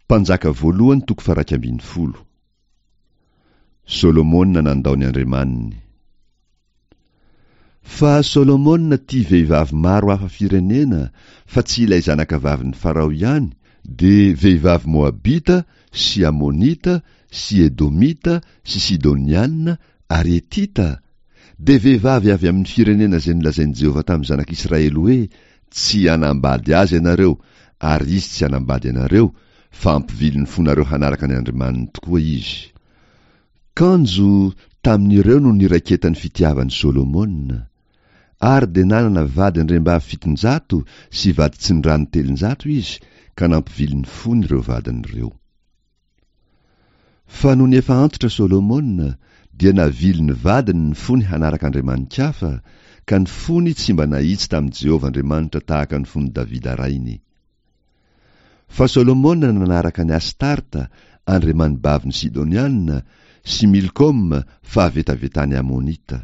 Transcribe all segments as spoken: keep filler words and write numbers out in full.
Mpanjaka voalohany toko faha-iraika ambin'ny folo. Solomona nandao ny andriamaniny. Fa Solomona tia vehivavy maro hafa firenena fa tsy ilay zanakavavin'i Farao ihany, dia vehivavy Moabita sy Amonita sy Edomita sy Sidoniana ary Hetita, dia vehivavy avy amin'ny firenena izay nolazain'i Jehovah tamin'ny zanak'Israely hoe, Tsy hanambady azy ianareo, ary izy tsy hanambady anareo, fa hampivily ny fonareo hanaraka ny andriamaniny tokoa izy. Kanjo tamin'ireo no niraiketan'ny fitiavan'i Solomona. Ary dia nanana vady andriambavy fitonjato sy vady tsindrano telonjato izy, ka nampivily ny fony ireo vadiny ireo. Fa nony efa antitra Solomona, dia navily ny vadiny ny fony hanaraka andriamani-kafa, ka ny fony tsy mba nahitsy tamin'i Jehovah Andriamanitra tahaka ny fon'i Davida rainy. Fa Solomona nanaraka an'i Astarta, andriamanibavin'ny Sidoniana, sy Milkoma, fahavetavetan'ny Amonita.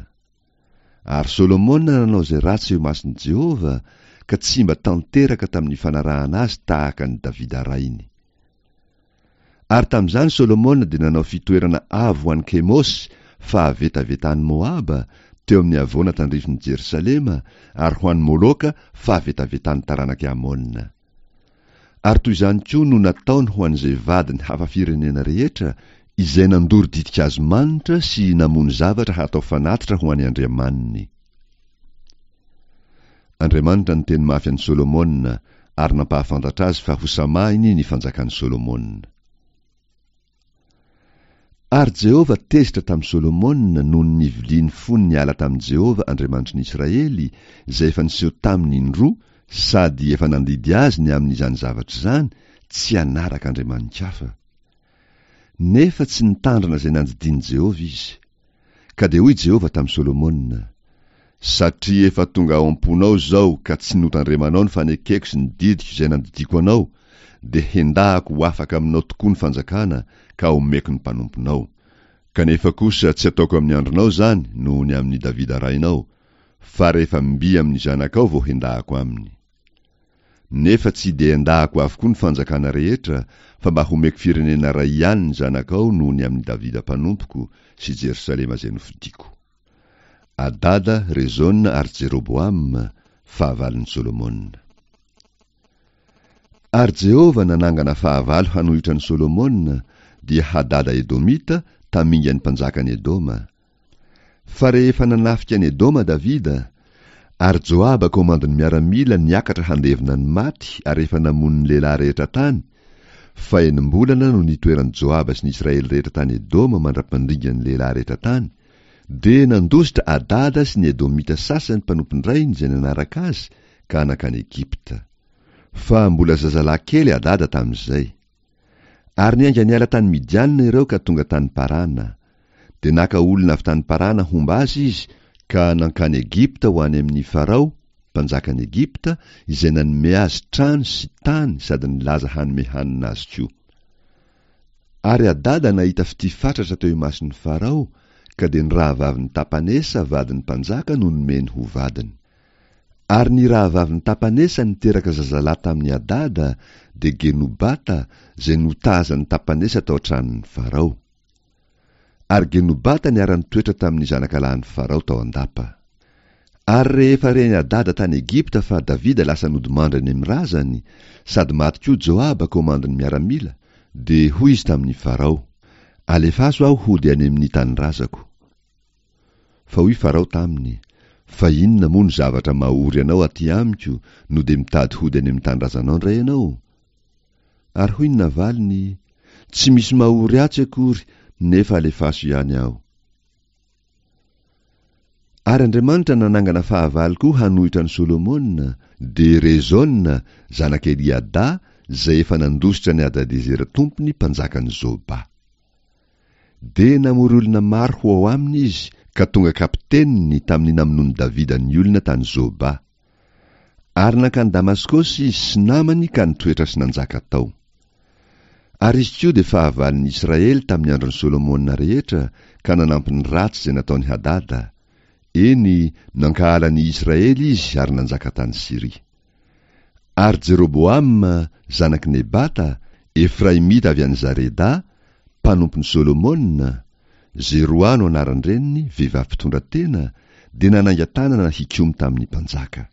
Ary Solomona nanao izay ratsy eo imason'i Jehovah, ka tsy mba tanteraka tamin'ny fanarahana azy tahaka an'i Davida rainy. Ary tamin'izany Solomona dia nanao fitoerana avo ho an'i Kemosy, fahavetavetan'i Moaba, teo amin'ny havoana tandrifin'i Jerosalema, ary ho an'i Moloka, fahavetavetan'ny taranak'i Amona. Ary toy izany koa no nataony ho an'izay vadiny hafa firenena rehetra, izay nandoro ditin-kazo manitra sy namono zavatra hatao fanatitra ho an'ny andriamaniny. Andriamanitra niteny mafy an'i Solomona ary nampahafantatra azy fa hosamahiny ny fanjakan'i Solomona. Ary Jehovah tezitra tamin'i Solomona noho ny niviliany fony niala tamin'i Jehovah Andriamanitry ny Israely, izay efa niseho taminy indroa sady efa nandidy azy ny amin'izany zavatra izany, tsy hanaraka andriamani-kafa. Nefa tsy nitandrina izay nandidian'i Jehovah izy. Ka dia hoy Jehovah tamin'i Solomona, Satria efa tonga ao am-ponao izao ka tsy notandremanao ny fanekeko sy ny didiko izay nandidiako anao, dia hendahako ho afaka aminao tokoa ny fanjakana ka homeko ny mpanomponao. Kanefa kosa tsy ataoko amin'ny andronao izany noho ny amin'i Davida rainao, fa rehefa mby amin'ny zanakao vao hendahako aminy. Nefa tsy dia endahako avokoa ny fanjakana rehetra, fa mba homeko firenena iray ihany ny zanakao noho ny amin'i Davida mpanompoko sy Jerosalema izay nofidiko. Adada, Rezona ary Jeroboama, fahavalon'i Solomona. Ary Jehovah nanangana fahavalo hanohitra an'i Solomona, dia Hadada Edomita, tamingan'ny mpanjakan'i Edoma. Fa rehefa nanafika an'i Edoma Davida, ary Joaba komandin'ny miaramila niakatra handevina ny maty ary efa namono ny lehilahy rehetra tany, fa enim-bolana no nitoeran'i Joaba sy ny Israely rehetra tany Edoma mandra-pandringan'ny lehilahy rehetra tany, dia nandositra Adada sy ny Edomita sasany mpanompon-drainy izay nanaraka azy ka nankany Egypta. Fa mbola zazalahy kely Adada tamin'izay. Ary niainga niala tany Midiana ireo ka tonga tany Parana. Dia naka olona avy tany Parana homba azy izy ka nankany Egypta ho any amin'i Farao, mpanjakan'i Egypta, izay nanome azy trano sy tany sady nilaza hanome hanina azy koa. Ary Hadada nahita fitia fatratra teo imason'i Farao, ka dia ny rahavavin'i Tapanesa vadin'ny mpanjaka no nomeny ho vadiny. Ary ny rahavavin'i Tapanesa niteraka zazalahy tamin'i Hadada, dia Genobata, izay notazan'i Tapanesa tao an-tranon'i Farao. Ary Genobata niara-nitoetra tamin'ny zanakalahin'i Farao tao an-dapa. Ary rehefa ren'i Hadada tany Egypta fa Davida lasa nodimandry any amin'ny razany, sady maty koa Joaba komandin'ny miaramila, dia hoy izy tamin'i Farao, Alefaso aho hody any amin'ny tanindrazako. Fa hoy Farao taminy, Fa inona moa no zavatra mahory anao aty amiko no dia mitady hody any amin'ny tanindrazanao indray ianao? Ary hoy ny navaliny, Tsy misy mahory ahy tsy akory, nefa alefaso ihany aho. Ary Andriamanitra nanangana fahavalo koa hanohitra an'i Solomona, dia Rezona, zanak'i Eliada, izay efa nandositra an'i Hadadezera tompony mpanjakan'i Zoba. Dia namory olona maro ho ao aminy izy ka tonga kapiteniny tamin'ny namonoan'i Davida ny olona tany Zoba. Ary nankany Damaskosy izy sy namany ka nitoetra sy nanjaka tao. Ary izy koa dia fahavalon'ny Israely tamin'ny andron'i Solomona rehetra ka nanampy ny ratsy izay nataon'i Hadada. Eny, nankahala ny Israely izy ary nanjaka tany Syria. Ary Jeroboama, zanak'i Nebata, Efraimita avy any Zareda, mpanompon'i Solomona, Zeroa no anaran-dreniny, vehivavy mpitondra tena, dia nanainga tanana hikomy tamin'ny mpanjaka.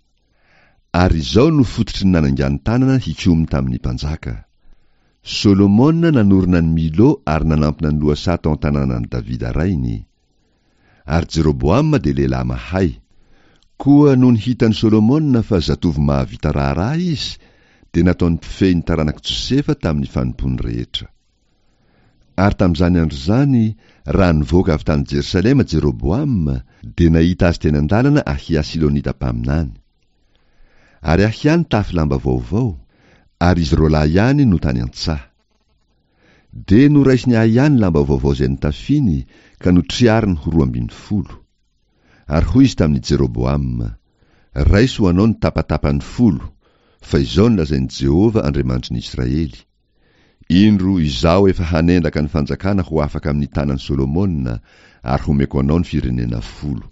Ary izao no fototry ny nanaingany tanana hikomy tamin'ny mpanjaka. Solomona nanorina ny Milo ary nanampina ny lohasaha tao an-tanànan'i Davida rainy. Ary Jeroboama dia lehilahy mahay. Koa nony hitan'i Solomona fa zatovo mahavita raharaha izy, dia nataony mpifehy ny taranak'i Josefa tamin'ny fanompoany rehetra. Ary tamin'izany andro izany, raha nivoaka avy tany Jerosalema Jeroboama, dia nahita azy teny an-dalana Ahia Silonita mpaminany. Ary Ahia nitafy lamba vaovao, ary izy roa lahy ihany no tany an-tsaha. Dia noraisiny Ahia ny lamba vaovao izay nitafiny, ka notriariny ho roa ambin'ny folo. Ary hoy izy tamin'i Jeroboama: Raiso ho anao ny tapatapany folo, fa izao no lazain'i Jehovah Andriamanitry ny Israely: Indro, izaho efa hanendaka ny fanjakana ho afaka amin'ny tanan'i Solomona, ary homeko anao ny firenena folo.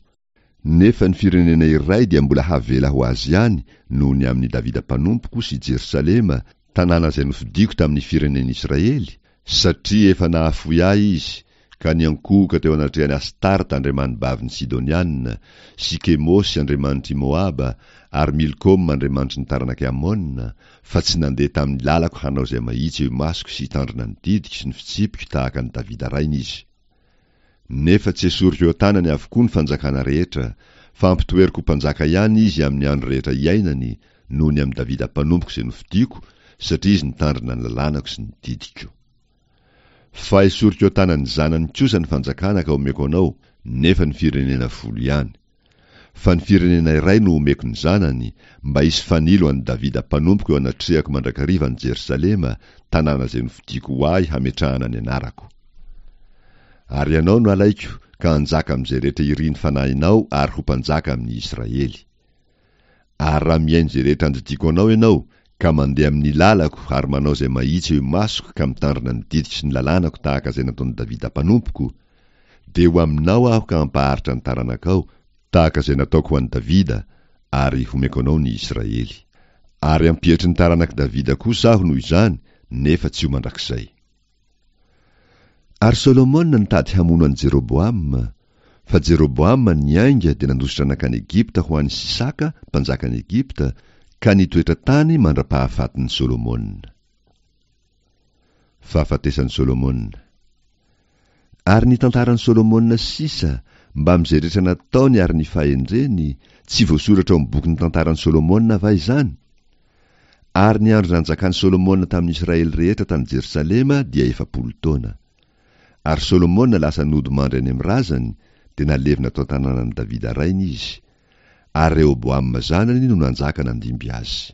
Nefa ny firenena iray dia mbola havela ho azy ihany noho ny amin'i Davida mpanompoko sy Jerosalema, tanàna izay nofidiko tamin'ny firenen'Israely, satria efa nahafoy ahy izy, ka niankohoka teo anatrehan'i Astarta andriamanibavin'ny Sidoniana, sy Kemosy andriamanitr'i Moaba, ary Milkoma andriamanitry ny taranak'i Amona, fa tsy nandeha tamin'ny lalako hanao izay mahitsy eo imasoko sy hitandrina ny didiko sy ny fitsipiko tahaka an'i Davida rainy izy. Nefa tsy esoriko eo an-tanany avokoa ny fanjakana rehetra, fa ampitoeriko ho mpanjaka ihany izy amin'ny andro rehetra iainany, noho ny amin'i Davida mpanompoko izay nofidiko, satria izy nitandrina ny lalànako sy ny didiko. Fa esoriko eo an-tanan'ny zanany kosa ny fanjakana ka omeko anao, nefa ny firenena folo ihany. Fa ny firenena iray no omeko ny zanany, mba hisy fanilo an'i Davida mpanompoko eo anatrehako mandrakariva any Jerosalema, tanàna izay nofidiko ho ahy hametrahana ny anarako. Ary ianao no alaiko ka hanjaka amin'izay rehetra irin'ny fanahinao ary ho mpanjaka amin'ny Israely. Ary raha mihaino izay rehetra andidiako anao ianao, ka mandeha amin'ny lalako ary manao izay mahitsy eo imasoko ka mitandrina ny didiko sy ny lalànako tahaka izay nataon'i Davida mpanompoko, dia ho aminao aho ka hampaharitra ny taranakao, tahaka izay nataoko ho an'i Davida, ary homeko anao ny Israely. Ary hampietry ny taranak'i Davida kosa aho noho izany, nefa tsy ho mandrakizay. Ary Solomona nitady hamono an'i Jeroboama, fa Jeroboama niainga dia nandositra nankany Egypta ho any Sisaka, mpanjakan'i Egypta, ka nitoetra tany mandra-pahafatin'i Solomona. Fahafatesan'i Solomona. Ary ny tantaran'i Solomona sisa, mbamin'izay rehetra nataony ary ny fahendreny, tsy voasoratra ao amin'ny bokin'ny tantaran'i Solomona va izany? Ary ny andro nanjakan'i Solomona tamin'ny Israely rehetra tany Jerosalema dia efapolo taona. Ary Solomona lasa nodimandry any amin'ny razany, dia nalevina tao an-tanànan'i Davida rainy izy. Ary Rehoboama zanany no nanjaka nandimby azy.